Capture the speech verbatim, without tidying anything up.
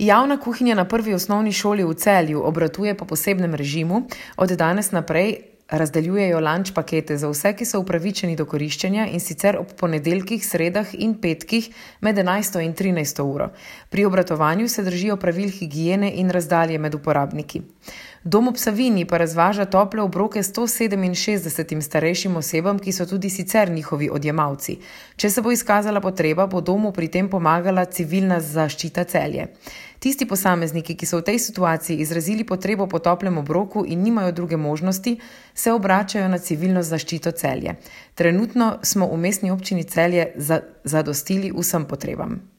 Javna kuhinja na prvi osnovni šoli v Celju obratuje po posebnem režimu. Od danes naprej razdeljujejo lunch pakete za vse, ki so upravičeni do koriščenja, in sicer ob ponedeljkih, sredah in petkih med enajsto in trinajsto uro. Pri obratovanju se držijo pravil higiene in razdalje med uporabniki. Dom ob Savinji pa razvaža tople obroke sto sedeminšestdesetim starejšim osebam, ki so tudi sicer njihovi odjemalci. Če se bo izkazala potreba, bo domu pri tem pomagala Civilna zaščita Celje. Tisti posamezniki, ki so v tej situaciji izrazili potrebo po toplem obroku in nimajo druge možnosti, se obračajo na Civilno zaščito Celje. Trenutno smo v Mestni občini Celje zadostili vsem potrebam.